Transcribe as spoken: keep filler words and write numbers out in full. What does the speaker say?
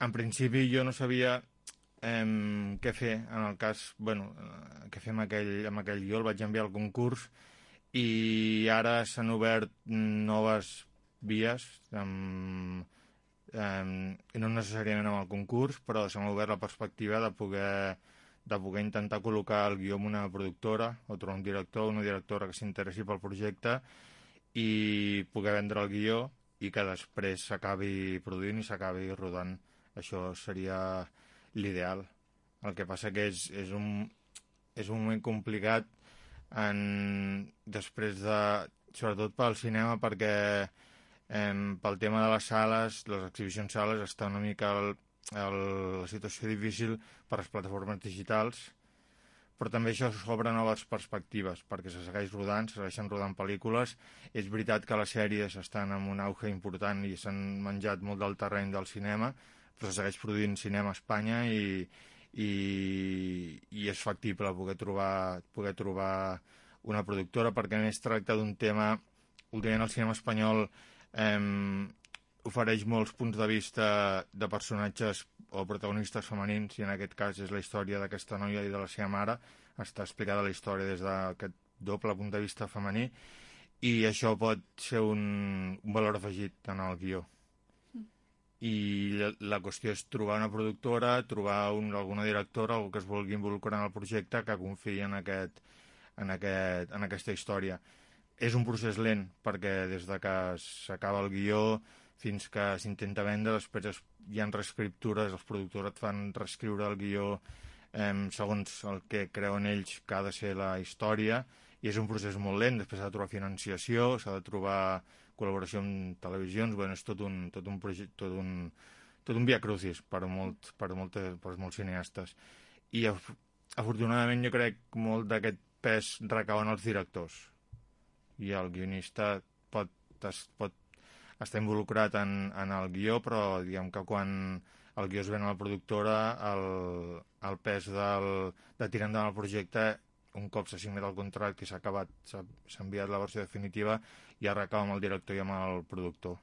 en principi jo no sabia eh, què fer en el cas, bueno, eh, què fer amb aquell, amb aquell guió, el vaig enviar al concurs i ara s'han obert noves vies, amb, eh, no necessàriament amb el concurs, però s'ha obert la perspectiva de poder, de poder intentar col·locar el guió en una productora o trobar un director o una directora que s'interessi pel projecte i poder vendre el guió i que després s'acabi produint i s'acabi rodant. Això seria l'ideal. El que passa que és, és, un, és un moment complicat en, després de, sobretot pel cinema, perquè eh, pel tema de les sales, les exhibicions sales, està una mica el, el, la situació difícil per les plataformes digitals, però també això s'obre noves perspectives, perquè se segueix rodant, se segueixen rodant pel·lícules. És veritat que les sèries estan en un auge important i s'han menjat molt del terreny del cinema, però se segueix produint cinema a Espanya i, i, i és factible poder trobar, poder trobar una productora, perquè a més tracta d'un tema, últimament el cinema espanyol eh, ofereix molts punts de vista de personatges o protagonistes femenins, i en aquest cas és la història d'aquesta noia i de la seva mare, està explicada la història des d'aquest doble punt de vista femení, i això pot ser un, un valor afegit en el guió. I la, la qüestió és trobar una productora, trobar un, alguna directora, algú que es vulgui involucrar en el projecte, que confiï en, aquest, en, aquest, en aquesta història. És un procés lent, perquè des de que s'acaba el guió fins que s'intenta vendre, després es, hi ha reescriptures, els productors et fan reescriure el guió eh, segons el que creuen ells que ha de ser la història, i és un procés molt lent. Després s'ha de trobar financiació, s'ha de trobar col·laboració amb televisions, bueno, és tot un, tot un projecte, tot un, tot un via crucis per, molt, per, moltes, per molts cineastes. I afortunadament jo crec que molt d'aquest pes recau en els directors, i el guionista pot, es, pot estar involucrat en, en el guió, però diguem que quan el guió es ven a la productora, el, el pes del, de tirar endavant el projecte, un cop s'ha signat el contracte i s'ha acabat, s'ha enviat la versió definitiva, ja recau amb el director i amb el productor.